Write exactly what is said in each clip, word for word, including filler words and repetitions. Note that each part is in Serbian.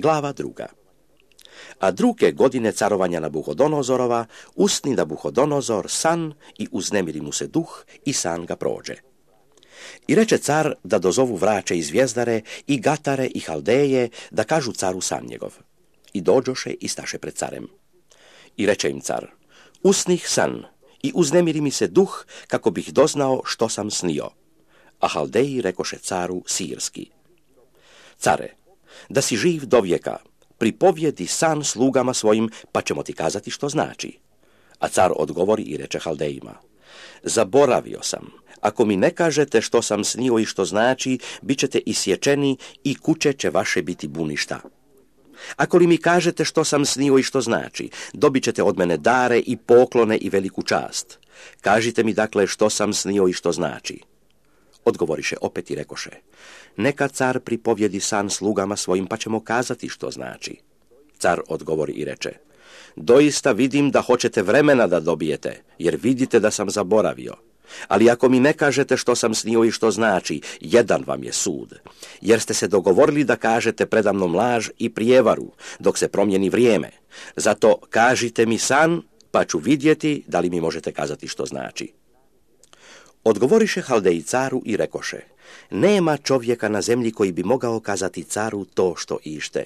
Glava druga. A druge godine carovanja Nabuhodonozorova usni Nabuhodonozor san i uznemiri mu se duh i san ga prođe. I reče car da dozovu vraće i zvijezdare i gatare i haldeje da kažu caru san njegov. I dođoše i staše pred carem. I reče im car, usnih san i uznemiri mi se duh kako bih doznao što sam snio. A haldeji rekoše caru sirski. Care, da si živ do vijeka, pripovjedi san slugama svojim, pa ćemo ti kazati što znači. A car odgovori i reče haldejima, zaboravio sam, ako mi ne kažete što sam snio i što znači, bit ćete isječeni i kuće će vaše biti buništa. Ako li mi kažete što sam snio i što znači, dobit ćete od mene dare i poklone i veliku čast. Kažite mi dakle što sam snio i što znači. Odgovoriše opet i rekoše, neka car pripovjedi san slugama svojim, pa ćemo kazati što znači. Car odgovori i reče, doista vidim da hoćete vremena da dobijete, jer vidite da sam zaboravio. Ali ako mi ne kažete što sam snio i što znači, jedan vam je sud, jer ste se dogovorili da kažete predamnom laž i prijevaru, dok se promijeni vrijeme. Zato kažite mi san, pa ću vidjeti da li mi možete kazati što znači. Odgovoriše haldeji caru i rekoše, nema čovjeka na zemlji koji bi mogao kazati caru to što ište.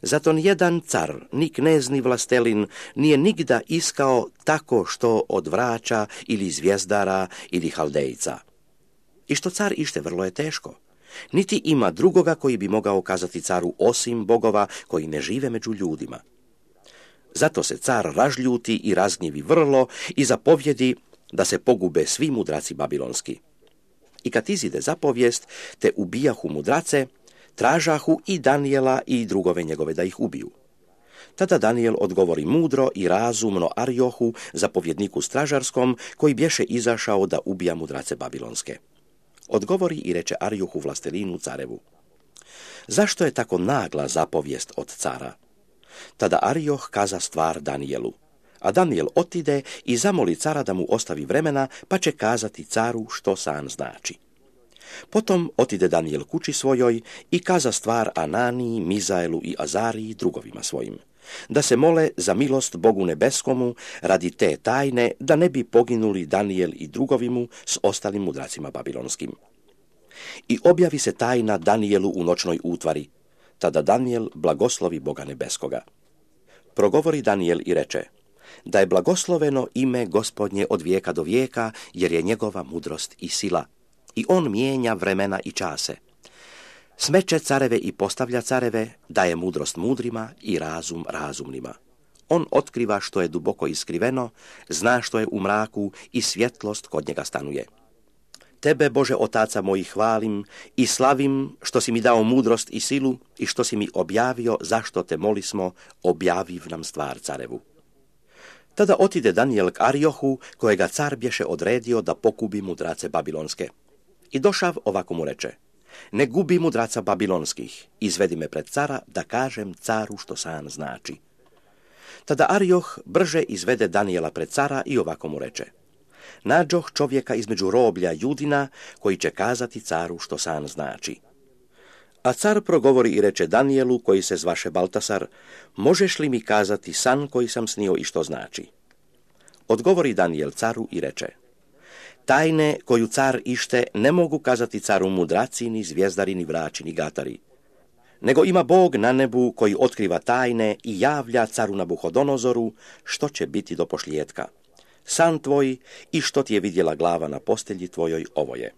Zato nijedan car, ni knez, ni vlastelin, nije nigda iskao tako što od vraća ili zvijezdara ili haldejca. I što car ište vrlo je teško. Niti ima drugoga koji bi mogao kazati caru osim bogova koji ne žive među ljudima. Zato se car ražljuti i razgnjevi vrlo i zapovjedi da se pogube svi mudraci babilonski. I kad izide zapovijest, te ubijahu mudrace, tražahu i Danijela i drugove njegove da ih ubiju. Tada Danijel odgovori mudro i razumno Ariohu, zapovjedniku stražarskom, koji bješe izašao da ubija mudrace babilonske. Odgovori i reče Ariohu vlastelinu carevu, zašto je tako nagla zapovijest od cara? Tada Arioh kaza stvar Danijelu. A Danijel otide i zamoli cara da mu ostavi vremena, pa će kazati caru što san znači. Potom otide Danijel kući svojoj i kaza stvar Ananiji, Mizaelu i Azariji drugovima svojim, da se mole za milost Bogu nebeskomu radi te tajne, da ne bi poginuli Danijel i drugovimu s ostalim mudracima babilonskim. I objavi se tajna Danijelu u noćnoj utvari, tada Danijel blagoslovi Boga nebeskoga. Progovori Danijel i reče, da je blagosloveno ime Gospodnje od vijeka do vijeka, jer je njegova mudrost i sila. I on mijenja vremena i čase. Smeće careve i postavlja careve, daje mudrost mudrima i razum razumnima. On otkriva što je duboko iskriveno, zna što je u mraku i svjetlost kod njega stanuje. Tebe, Bože otaca mojih, hvalim i slavim što si mi dao mudrost i silu i što si mi objavio zašto te molismo, objaviv nam stvar carevu. Tada otide Danijel k Ariohu, kojega car bješe odredio da pokubi mudrace babilonske. I došav ovako mu reče, ne gubi mudraca babilonskih, izvedi me pred cara da kažem caru što san znači. Tada Arioh brže izvede Danijela pred cara i ovako mu reče, nađoh čovjeka između roblja Judina koji će kazati caru što san znači. A car progovori i reče Danijelu, koji se zvaše Baltasar, možeš li mi kazati san koji sam snio i što znači? Odgovori Danijel caru i reče, tajne koju car ište ne mogu kazati caru mudraci, ni zvijezdari, ni vraći, ni gatari. Nego ima Bog na nebu koji otkriva tajne i javlja caru Nabuhodonozoru što će biti do pošlijetka. San tvoj i što ti je vidjela glava na postelji tvojoj ovo je.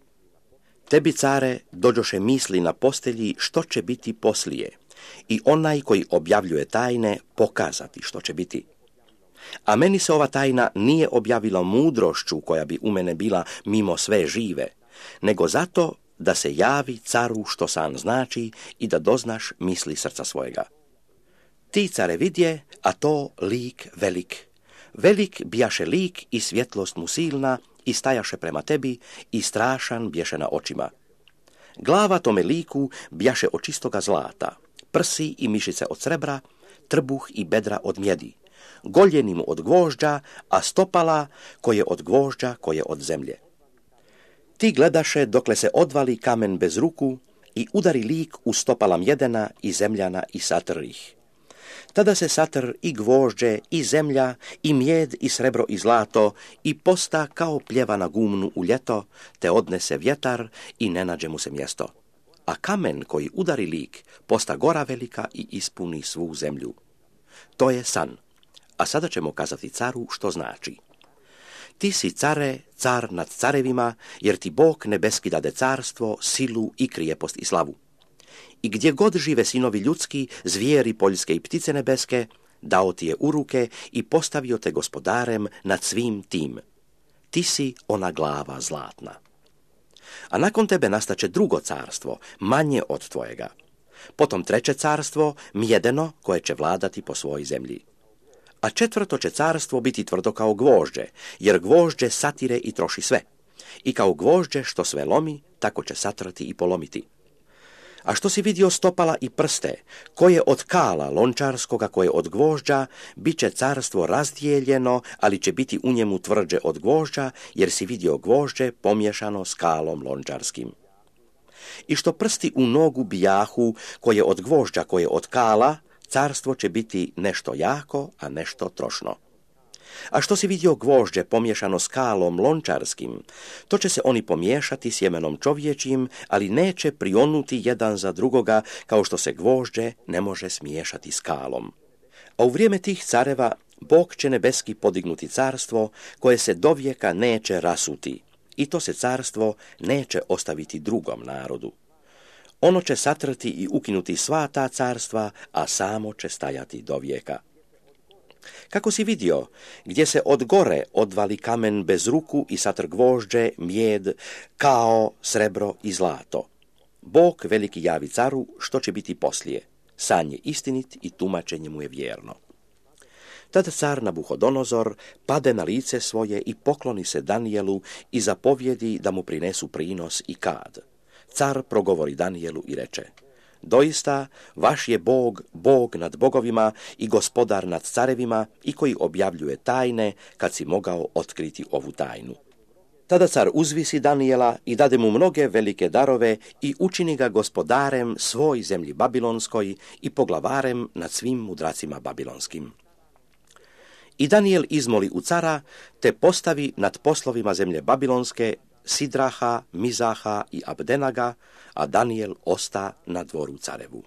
Tebi, care, dođoše misli na postelji što će biti poslije i onaj koji objavljuje tajne pokazati što će biti. A meni se ova tajna nije objavila mudrošću koja bi u mene bila mimo sve žive, nego zato da se javi caru što san znači i da doznaš misli srca svojega. Ti, care, vidje, a to lik velik. Velik bijaše lik i svjetlost mu silna i stajaše prema tebi i strašan bješe na očima. Glava tome liku bjaše od čistoga zlata, prsi i mišice od srebra, trbuh i bedra od mjedi, goljeni mu od gvožđa, a stopala koje od gvožđa, koje od zemlje. Ti gledaše dokle se odvali kamen bez ruku i udari lik u stopala Mjedena i Zemljana i satr ih. Tada se satr i gvožđe i zemlja i mjed i srebro i zlato i posta kao pljeva na gumnu u ljeto, te odnese vjetar i ne nađe mu se mjesto. A kamen koji udari lik posta gora velika i ispuni svu zemlju. To je san. A sada ćemo kazati caru što znači. Ti si, care, car nad carevima, jer ti Bog nebeski dade carstvo, silu i krijepost i slavu. I gdje god žive sinovi ljudski, zvijeri poljske i ptice nebeske, dao ti je u ruke i postavio te gospodarem nad svim tim. Ti si ona glava zlatna. A nakon tebe nastaće drugo carstvo, manje od tvojega. Potom treće carstvo, mjedeno, koje će vladati po svojoj zemlji. A četvrto će carstvo biti tvrdo kao gvožđe, jer gvožđe satire i troši sve. I kao gvožđe što sve lomi, tako će satrati i polomiti. A što si vidio stopala i prste, koje od kala lončarskoga, koje od gvožđa, bit će carstvo razdijeljeno, ali će biti u njemu tvrđe od gvožđa, jer si vidio gvožđe pomiješano s kalom lončarskim. I što prsti u nogu bijahu, koje od gvožđa, koje od kala, carstvo će biti nešto jako, a nešto trošno. A što si vidio gvožđe pomiješano s kalom lončarskim, to će se oni pomiješati sjemenom čovječim, ali neće prionuti jedan za drugoga, kao što se gvožđe ne može smiješati s kalom. A u vrijeme tih careva Bog će nebeski podignuti carstvo, koje se dovijeka neće rasuti, i to se carstvo neće ostaviti drugom narodu. Ono će satrti i ukinuti sva ta carstva, a samo će stajati do vijeka. Kako si vidio, gdje se od gore odvali kamen bez ruku i satr gvožđe, mjed, kao, srebro i zlato. Bog veliki javi caru što će biti poslije. San je istinit i tumačenje mu je vjerno. Tada car Nabuhodonozor pade na lice svoje i pokloni se Danijelu i zapovjedi da mu prinesu prinos i kad. Car progovori Danijelu i reče: doista, vaš je Bog, Bog nad bogovima i gospodar nad carevima i koji objavljuje tajne kad si mogao otkriti ovu tajnu. Tada car uzvisi Danijela i dade mu mnoge velike darove i učini ga gospodarem svoj zemlji babilonskoj i poglavarem nad svim mudracima babilonskim. I Danijel izmoli u cara, te postavi nad poslovima zemlje babilonske Sidraha, Mizaha i Abdenaga, a Danijel osta na dvoru carevu.